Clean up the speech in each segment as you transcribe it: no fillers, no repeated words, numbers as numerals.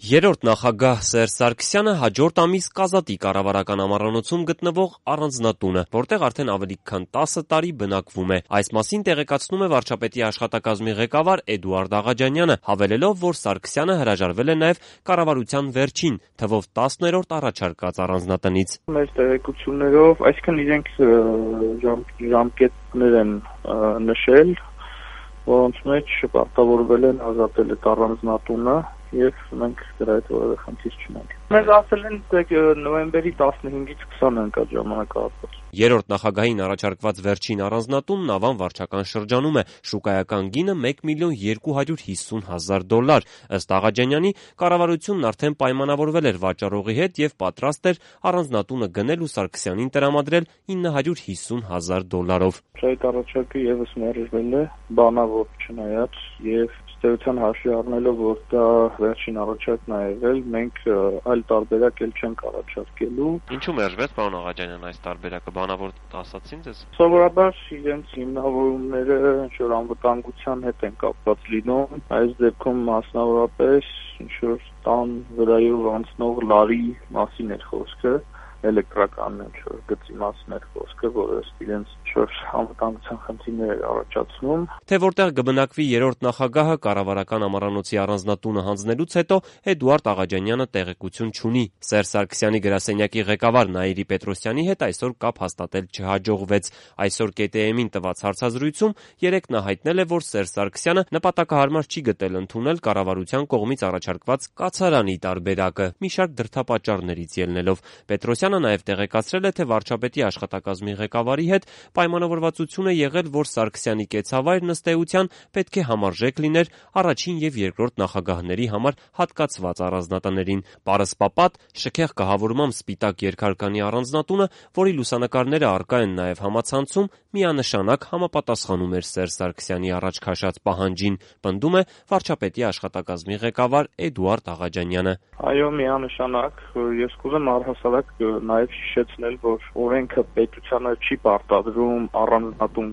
Երրորդ նախագահ Սերժ Սարգսյանը հաջորդ ամիս կազատի կառավարական ամառանոցում գտնվող առանձնատունը, որտեղ արդեն ավելի քան 10 տարի բնակվում է։ Այս մասին տեղեկացնում է վարչապետի աշխատակազմի ղեկավար Էդուարդ Աղաջանյանը, հավելելով, որ Սարգսյանը հրաժարվել է նաև կառավարության վերջին թվով 10-րդ առաջարկած առանձնատնից։ Մեր տեղեկություններով, այսինքն իրենք ժամկետներ են նշել, որոնց մեջ պարտավորվել են ազատել այդ առանձնատունը եւ մենք դրա հետ որևէ խնդիր չունենք։ Մեզ ասել են, թե նոյեմբերի 15-ից 20-ը ընկա ժամանակահատված։ Երրորդ նախագահին առաջարկված վերջին առանձնատունն Ավան վարչական շրջանում է, շուկայական գինը $1,250,000։ Ըստ Աղաջանյանի, կառավարությունն արդեն պայմանավորվել էր վաճառողի հետ եւ պատրաստ էր առանձնատունը գնել ու Սարգսյանին տրամադրել $950,000-ով։ Այդ առաջարկը եւս մերժվել է բանավոր չնայած եւ ըստ հաշվի առնելով, որ դա վերջին առաջարկն է եղել, մենք այլ տարբերակ էլ չենք առաջարկելու։ Ինչու մերժվեց, պարոն Աղաջանյան, այս տարբերակը բանավոր ասացին ձեզ։ Սովորաբար իրենց հիմնավորումները ինչ-որ անվտանգության հետ են կապված լինում, այս դեպքում մասնավորապես ինչ-որ տան վրայով անցնող լարի մասին էր խոսքը, էլեկտրական ինչ-որ գծի մասին էր խոսքը, որը իրենց ինչ-որ անվտանգության խնդիրներ էր առաջացնում։ Թե որտեղ կբնակվի երրորդ նախագահը կառավարական ամառանոցի առանձնատունը հանձնելուց հետո Էդուարդ Աղաջանյանը տեղեկություն չունի։ Սերժ Սարգսյանի գրասենյակի ղեկավար Նաիրի Պետրոսյանի հետ այսօր կապ հաստատել չհաջողվեց։ Այսօր ԿՏՄ-ին տված հարցազրույցում երեկ նա հայտնել է, որ Սերժ Սարգսյանը նպատակահարմար չի գտել ընդունել կառավարության կողմից առաջարկված կացարանի տարբերակը, մի շարք դրդապատճառներից ելնելով։ Պետրոսյանը նաև տեղեկացրել է, թե վարչապետի աշխատակազմի ղեկավարի հետ պայմանավորվածություն է եղել, որ Սարգսյանի կեցավայրն ըստ էության պետք է համարժեք լիներ առաջին եւ երկրորդ նախագահների համար հատկացված առանձնատներին։ Պարսպապատ, շքեղ կահավորմամբ սպիտակ երկհարկանի առանձնատունը, որի լուսանկարները առկա են նաև համացանցում, միանշանակ համապատասխանում էր Սերժ Սարգսյանի առաջ քաշած պահանջին, պնդում է վարչապետի աշխատակազմի ղեկավար Էդուարդ Աղաջանյանը։ Այո, միանշանակ, ես կուզեմ առհասարակ նաև հիշեցնել, որ օրենքը պետությանը չի պարտադրում առանձնատուն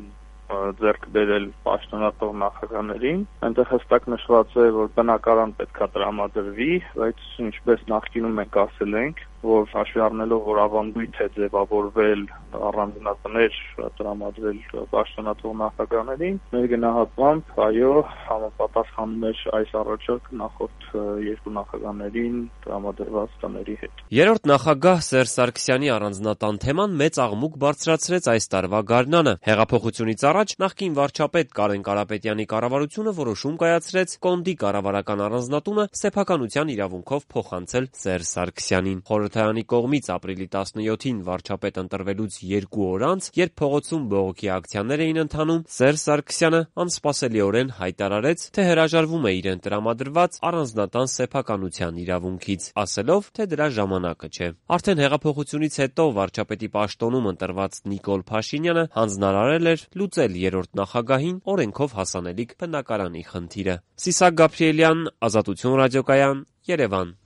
ձեռք բերել պաշտոնատար նախագահներին, այնտեղ հստակ նշված է, որ բնակարան պետքա տրամադրվի, բայց ինչպես նախկինում մենք ասել ենք, որ հաշվի առնելով, որ ավանդույթ է ձևավորվել առանձնատներ տրամադրել պաշտոնատար նախագահներին, մեր գնահատմամբ, այո, համապատասխանում էր այս առաջարկը նախորդ երկու նախագահներին տրամադրված տների հետ։ Երրորդ նախագահ Սերժ Սարգսյանի առանձնատան թեման մեծ աղմուկ բարձրացրեց այս տարվա գարնանը։ Հեղափոխությունից առաջ նախկին վարչապետ Կարեն Կարապետյանի կառավարությունը որոշում կայացրեց Կոնդի կառավարական առանձնատունը սեփականության իրավունքով փոխանցել Սերժ Սարգսյանին։ Խորհրդարանի կողմից ապրիլի 17-ին վարչապետ ընտրվելուց 2 օր անց, երբ փողոցում բողոքի ակցիաներ էին ընթանում, Սերժ Սարգսյանը անսպասելիորեն հայտարարեց, թե հրաժարվում է իրեն տրամադրված առանձնատան սեփականության իրավունքից, ասելով, թե դրա ժամանակը չէ։ Արդեն հեղափոխությունից հետո վարչապետի պաշտոնում ընտրված Նիկոլ Փաշինյանը հանձնարարել էր լուծել երրորդ նախագահին օրենքով հասանելիք բնակարանի խնդիրը։ Սիսակ Գաբրիելյան, Ազատություն ռադիոկայան, Երևան։